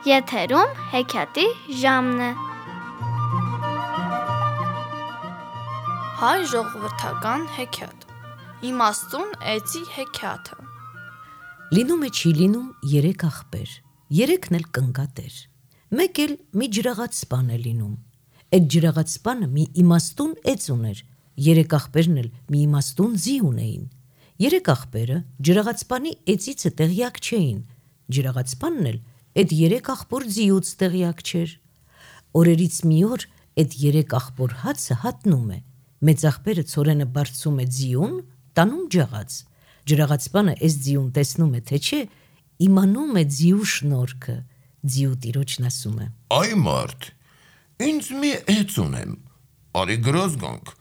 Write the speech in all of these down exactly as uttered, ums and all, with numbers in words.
Եթերում հեքիաթի ժամն է։ Հայ ժողովրդական հեքիաթ։ Իմաստուն էծի հեքիաթը։ Լինում է չի լինում երեք աղբեր, երեքն էլ կնկատեր։ Մեկ էլ մի ջրաղաց սպան է լինում։ Այդ ջրաղաց սպանը մի իմաստուն էծ ուներ, երեք աղբերն էլ մի իմաստուն ձի ունեին։ Երեք աղբերը ջրաղացպանի էծիցը տեղյակ չէին, ջրաղացպանն էլ այդ երեք աղբոր ձիուց տեղյակ չէր։ Օրերից մի օր այդ երեք աղբոր հացը հատնում է, մեծ աղբերը ցորենը բարձում է ձիուն, տանում ջաղաց։ Ջրաղացպանը այս ձիուն տեսնում է, թե չէ, իմանում է ձիու շնորհքը։ Ձիու տիրոջն ասում է. Այ մարդ, ինձ մի էծ ունեմ, արի գրոզ գանք,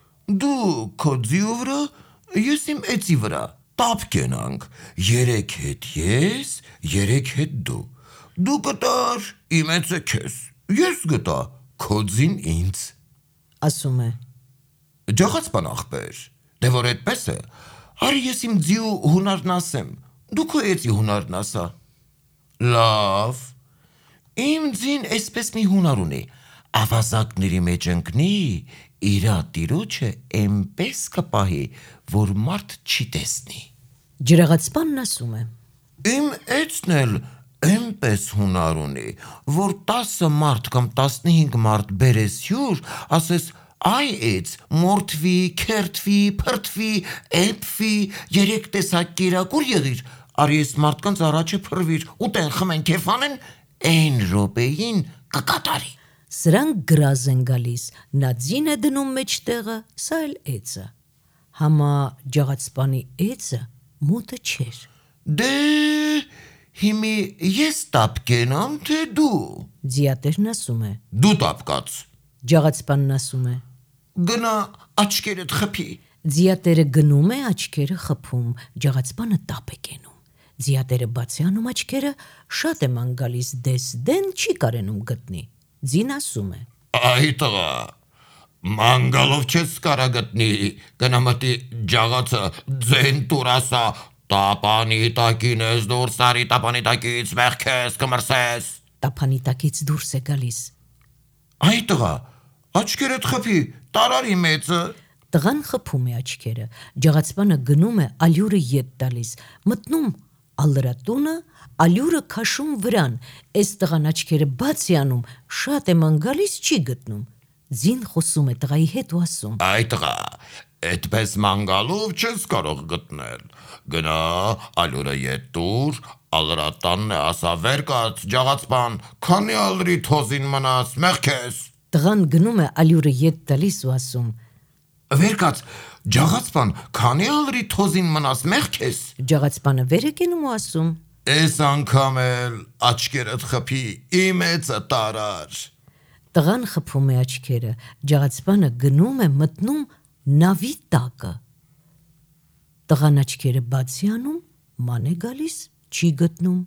դու քո ձիու վրա, ես իմ էծի վրա, տապ կենանք, երեք հետ ես, երեք հետ դու, դու գտար իմ էծը քեզ, ես գտա քո ձին ինձ։ Ասում է. Ջաղացպան աղբեր, դե որ այդպես է, արի ես իմ ձիու հունարն ասեմ, դու քո էծի հունարն ասա։ Լավ, իմ ձին այսպես մի հունար ունի, ավազակների մեջ ընկնի, իրա տիրոջը էնպես կպահի, որ մարդ չի տեսնի։ Ջրաղացպանն ասում է. Իմ էծն էլ էնպես հունար ունի, որ տասը մարդ կամ տասնհինգ մարդ բերես հյուր, ասես այ էծ, մորթվի, քերթվի, փրթվի, էփվի, երեք տեսակ կերակուր եղիր, արի ես մարդկանց առաջը փրվիր, ուտեն խմեն քեֆանեն, այն րոպեին կկատարի։ Սրանք գրազ են գալիս, նա ձին է դնում մեջտեղը, սա էլ էծը։ Համա ջաղացպանի էծը մոտը չէր։ Դե հիմի ես տապ կենամ, թե դու։ Ձիատերն ասում է. Դու տապ կաց։ Ջաղացպանն ասում է. Գնա աչքերդ խփի։ Ձիատերը գնում է, աչքերը խփում, ջաղացպանը տապ է կենում։ Ձիատերը բաց է անում աչքերը, շատ է ման գալիս, դես դեն չի կարենում գտնի։ Ձին ասում է. Այ տղա, մանգալով չես կարա գտնի, գնա մտի ջաղացը ձեն տուր ասա, տապանի տակին ես դուրս արի, տապանի տակից մեղքես կմրսես։ Տապանի տակից դուրս է գալիս։ Այ տղա, աչքերդ խփի, տարարի մեծը։ Տղան խփում է աչքերը, ջաղացպանը գնում է, ալյուրը ետ տալիս, մտնում ալրատունը, ալյուրը քաշում վրան, այս տղան աչքերը բաց է անում, շատ է ման գալիս, չի գտնում։ Ձին խոսում է տղայի հետ ու ասում. Այ տղա, այդպես մանգալով չես կարող գտնել, գնա ալյուրը ետ տուր, ալրատանն է ասա վեր կաց, ջաղացպան, քանի ալրի թոզին մնաս, մեղքես։ Տղան գնում է ալյուրը ետ տալիս ու ասում. Վեր կաց, ջաղացպան, քանի ալրի թոզին մնաս, մեղքես։ Ջաղացպանը վեր է կենում ու ասում. Էս անգամ էլ աչքերդ խփի, իմ էծը տարար։ Տղան խփում է աչքերը, ջաղացպանը գնում է, մտնում նավի տակը։ Տղան աչքերը բաց է անում, ման է գալիս, չի գտնում։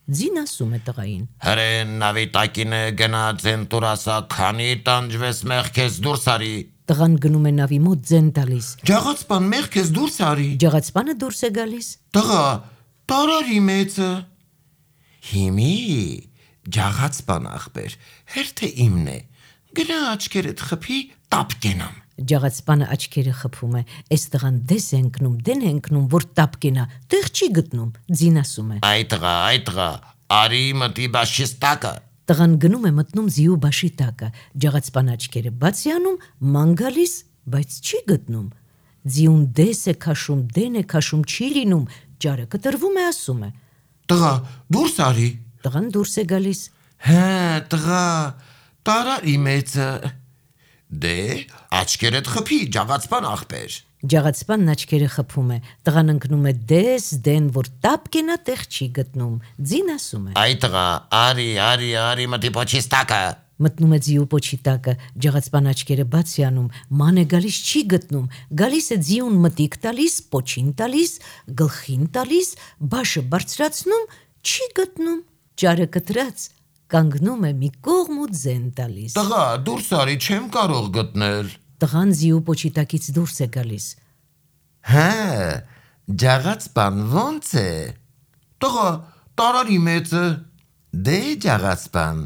Ձին ասում է տղային. Հրեն նավի տակին է, գնա ձեն տուր ասա, քանի տանջվես մեղքես դուրս արի։ Տղան գնում է նավի մոտ ձեն տալիս։ Ջաղացպան, մեղքես դուրս արի։ Ջաղացպանը դուրս է գալիս։ Տղա, տարարի մեծը։ Հիմի ջաղացպան աղբեր, հերթը իմն է, գնա աչքերդ խփի, տապ կենամ։ Ջաղացպանը աչքերը խփում է, այս տղան դես է ընկնում, դեն է ընկնում, որ տապ կենա, տեղ չի գտնում։ Ձին ասում է. Այ տղա, այ տղա, արի մտի բաշիս տակը։ Տղան գնում է, մտնում ձիու բաշի տակը, ջաղացպանը աչքերը բաց է անում, ման գալիս, բայց չի գտնում։ Ձիուն դես է քաշում, դեն է քաշում, չի լինում, ճարը կտրվում է, ասում է. Տղա, դուրս արի։ Տղան դուրս է գալիս։ Հա, տղա, տարարի մեծը։ Դե, աչքերդ խփի, ջաղացպան աղբեր։ Ջաղացպանն աչքերը խփում է, տղան ընկնում է դես, դեն, որ տապ կենա, տեղ չի գտնում։ Ձին ասում է. Այ տղա, արի, արի, արի մտի պոչիս տակը։ Մտնում է ձիու պոչի տակը, ջաղացպան աչքերը բաց է անում, ման է գալիս, չի գտնում, գալիս է ձիուն մտիկ տալիս, պոչին տալիս, գլխին տալիս, բաշը բարձրացնում, չի գտնում, ճարը կտրած, կանգնում է մի կողմ ու ձեն տալիս։ Տղա, դուրս արի, չեմ կարող գտնել։ Տղան ձիու պոչի տակից դուրս է գալիս։ Հա, ջաղացպան ոնց է։ Տղա, տարարի մեծը։ Դե ջաղացպան,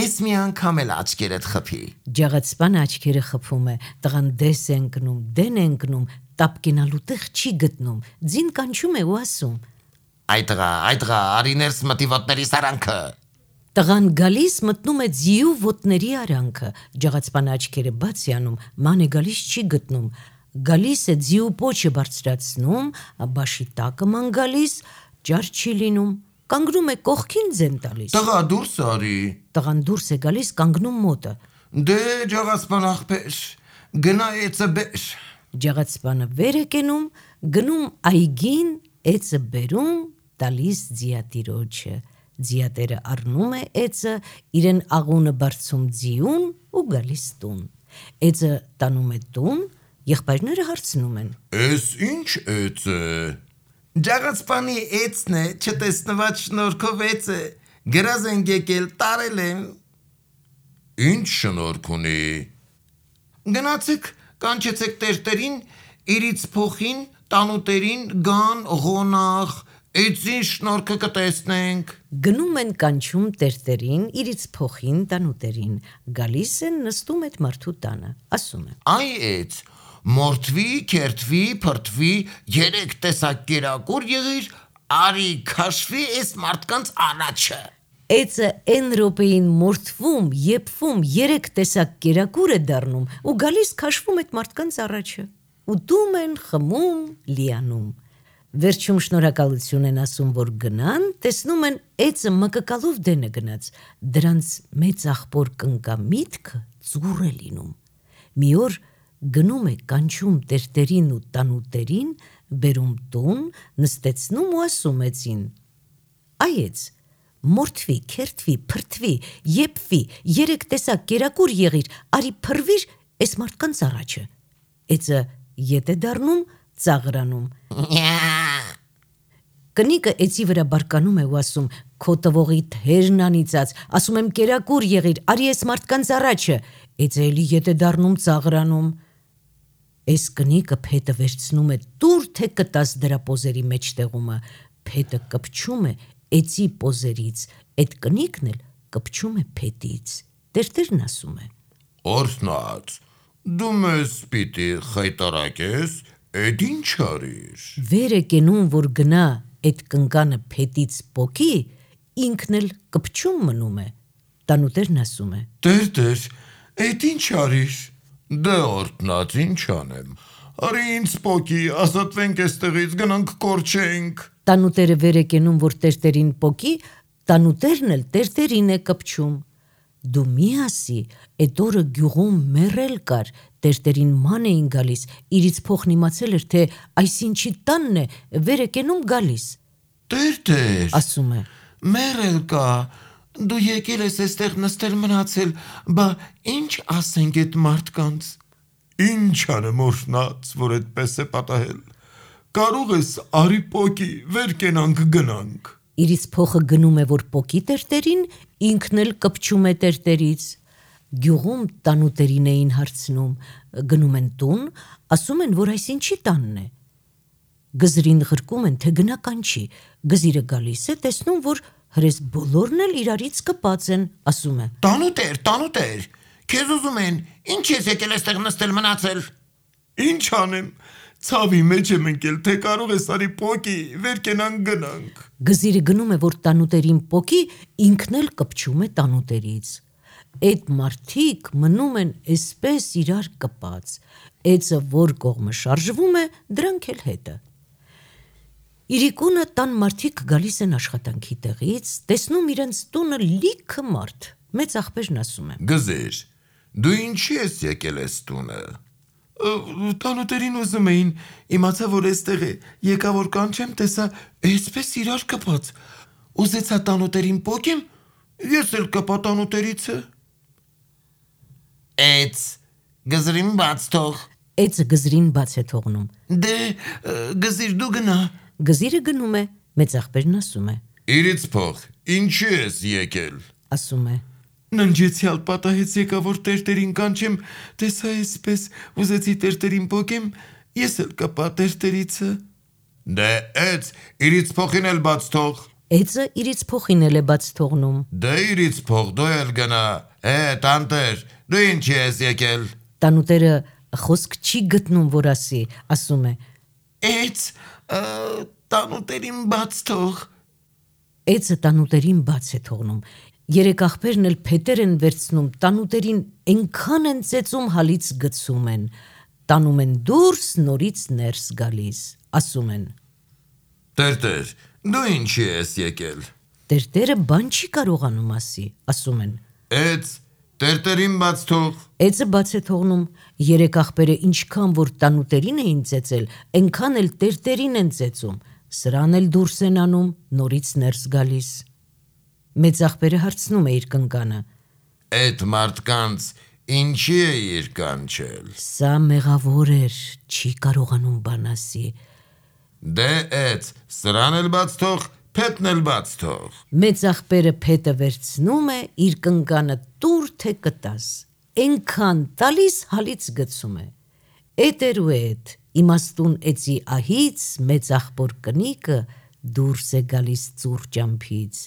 ես մի անգամ էլ աչքերդ խփի։ Ջաղացպանը աչքերը խփում է, տղան դես է ընկնում, դեն է ընկնում, տապկենալու տեղ չի գտնում, ձին կանչում է ու ասում. Այ տղա, այ տղա, արի ներս մտի ոտների սարանքը։ Տղան գալիս մտնում է ձիու ոտների արանքը, ջաղացպանը աչքերը բաց է անում, ման է գալիս չի գտնում, գալիս է ձիու պոչը բարձրացնում, բաշի տակը ման գալիս, ճար չի լինում, կանգնում է կողքին ձեն տալիս։ Տղա դուրս արի։ Տղան դուրս է գալիս, կանգնում մոտը։ Դե ջաղացպան աղբեր, գնա էծը բեր։ Ջաղացպանը վեր է կենում, գնում այգին, էծը բերում, տալիս ձիատիրոջը։ Ձիատերը առնում է էծը, իրեն աղունը բարձում ձիուն ու գալիս տուն։ Էծը տանում է տուն, եղբայրները հարցնում են. Էս ինչ էծ է։ Ջաղացպանի էծն է, չտեսնված շնորհքով էծ է, գրազ են եկել, տարել են։ Ինչ շնորհք ունի։ Գնացեք, կանչեցեք տերտերին, իրից փոխին, տանուտերին, գան, ղոնախ, էծի շնորհքը կտեսնենք։ Գնում են կանչում տերտերին, իրից փոխին, տանուտերին, գալիս են նստում այդ մարդու տանը, ասում են. Այ էծ, մորթվի, քերթվի, փրթվի, երեք տեսակ կերակուր եղիր, արի քաշվի էս մարդկանց առաջը։ Էծը են րոպեին մորթվում, եփվում, երեք տեսակ կերակուր է դառնում ու գալիս քաշվում այդ մարդկանց առաջը։ Ուտում են, խմում, լիանում։ Վերջում շնորհակալություն են ասում, որ գնան, տեսնում են էծը մկկալով դենը գնաց, դրանց մեծ աղբոր կնկա միտքը ծուռ է լինում։ Մի օր գնում է կանչում տերտերին ու տանուտերին, բերում տուն, նստեցնում ու ասում էծին. Այ էծ, մորթվի, քերթվի, փրթվի, եփվի, երեք տեսակ կերակուր եղիր, արի փրվիր էս մարդկանց առաջը։ Էծը ետ է դառնում, ծաղրանում։ Կնիկը էծի վրա բարկանում է ու ասում. Քո տվողի թերն անիծած, ասում եմ կերակուր եղիր, արի էս մարդկանց առաջը։ Էծը էլի ետ է դառնում, ծաղրանում։ Էս կնիկը փետը վերցնում է, տուր թե կտաս դրա պոզերի մեջտեղումը, փետը կպչում է էծի պոզերից, այդ կնիկն էլ կպչում է փետից։ Տերտերն ասում է. Օրհնած, դու մեզ պիտի խայտարակես, էդ ինչ արիր։ Վեր է կենում, որ գնա այդ կնկանը փետից պոկի, ինքն էլ կպչում մնում է։ Տանուտերն ասում է. Տեր-տեր, էդ ինչ արիր։ Դե օրհնած, ինչ անեմ։ Արի ինձ պոկի, ազատվենք էստեղից, գնանք կորչենք։ Տանուտերը վեր է կենում, որ տերտերին պոկի, տանուտերն էլ տերտերին է կպչում։ Դու մի ասի, այդ օրը գյուղում մեռել կար, տերտերին ման էին գալիս, իրից փոխն իմացել էր, թե այսինչի տանն է, վեր է կենում գալիս։ Տեր-տեր, Ասում է. մեռել կա, դու եկել ես էստեղ նստել մնացել, բա ինչ ասենք այդ մարդկանց։ Ինչ անեմ օրհնած, որ այդպես է պատահել։ Կարող ես արի պոկի, վեր կենանք գնանք։ Իրից փոխը գնում է, որ պոկի տերտերին, ինքն էլ կպչում է տերտերից։ Գյուղում տանուտերին էին հարցնում, գնում են տուն, ասում են, որ այսինչի տանն է։ Գզրին ղրկում են, թե գնա կանչի, գզիրը գալիս է, տեսնում, որ հրես բոլորն էլ իրարից կպած են, ասում է. Տանուտեր, տանուտեր, քեզ ուզում են, ինչ ես եկել էստեղ նստել մնացել։ Ինչ անեմ, ցավի մեջ եմ ընկել, թե կարող ես արի պոկի, վեր կենանք գնանք։ Գզիրը գնում է, որ տանուտերին պոկի, ինքն էլ կպչում է տանուտերից։ Այդ մարդիկ մնում են էսպես իրար կպած, էծը որ կողմը շարժվում է, դրանք էլ հետը։ Իրիկունը տան մարդիկ գալիս են աշխատանքի տեղից, տեսնում իրենց տունը լիքը մարդ, մեծ աղբերն ասում է. Գզիր, դու ինչի ես եկել ես տունը։ Տանուտերին ուզում էին, իմացա, որ էստեղ է, եկա որ կանչեմ, տեսա էսպես իրար կպած, ուզեցա տանուտերին պոկեմ, ես էլ կպա տանուտերիցը։ Էց, գզրին բաց թող։ Էծը գզրին բաց է թողնում։ Դե, գզիր դու գնա։ Գզիրը գնում է, մեծ աղբերն ասում է. Իրից փող, ինչի ես եկել։ Ասում է. Ննջեցյալ պատահեց եկա, որ տերտերին կանչեմ, տեսա էսպես, ուզեցի տերտերին պոկեմ, ես էլ կպա տերտերիցը։ Դե էց, իրից փոխին էլ բաց թող։ Էծը իրից փոխին էլ է բաց թողնում։ Դե իրից փող դու էլ գնա։ Է, տանտեր, դու ինչի ես եկել։ Տանուտերը խոսք չի գտնում, որ ասի, ասում է. Էց, տանուտերին բաց թող։ Էծը տանուտերին բաց է թողնում։ Երեք աղբերն էլ փետեր են վերցնում, տանուտերին այնքան են ծեծում, հալից գցում են, տանում են դուրս, նորից ներս գալիս, ասում են. Տեր-տեր, դու ինչի ես եկել։ Տերտերը բան չի կարողանում ասի, ասում են. Էց, տեր-տերին բաց թող։ Էծը բաց է թողնում, երեք աղբերը ինչքան որ տանուտերին էին ծեծել, այնքան էլ տերտերին են ծեծում, սրան էլ դուրս են անում, նորից ներս գալիս։ Մեծ աղբերը հարցնում է իր կնկանը. Էդ մարդկանց ինչի է իր կանչել։ Սա մեղավոր էր, չի կարողանում բան ասի։ Դե էց, սրան էլ բաց թող, փետն էլ բաց թող։ Մեծ աղբերը փետը վերցնում է, իր կնկանը տուր թե կտաս, այնքան տալիս հալից գցում է։ Էդ էր ու էդ, իմաստուն էծի ահից մեծ աղբոր կնիկը դուրս է գալիս ծուռ ճամփից,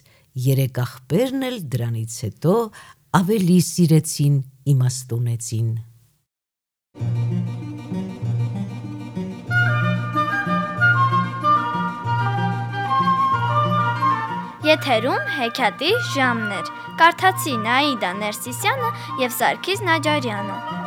երեք աղբերն էլ դրանից հետո ավելի սիրեցին իմաստուն էծին։ Եթերում հեքիաթի ժամն էր։ Կարդացին Աիդա Ներսիսյանը և Սարգիս Նաջարյանը։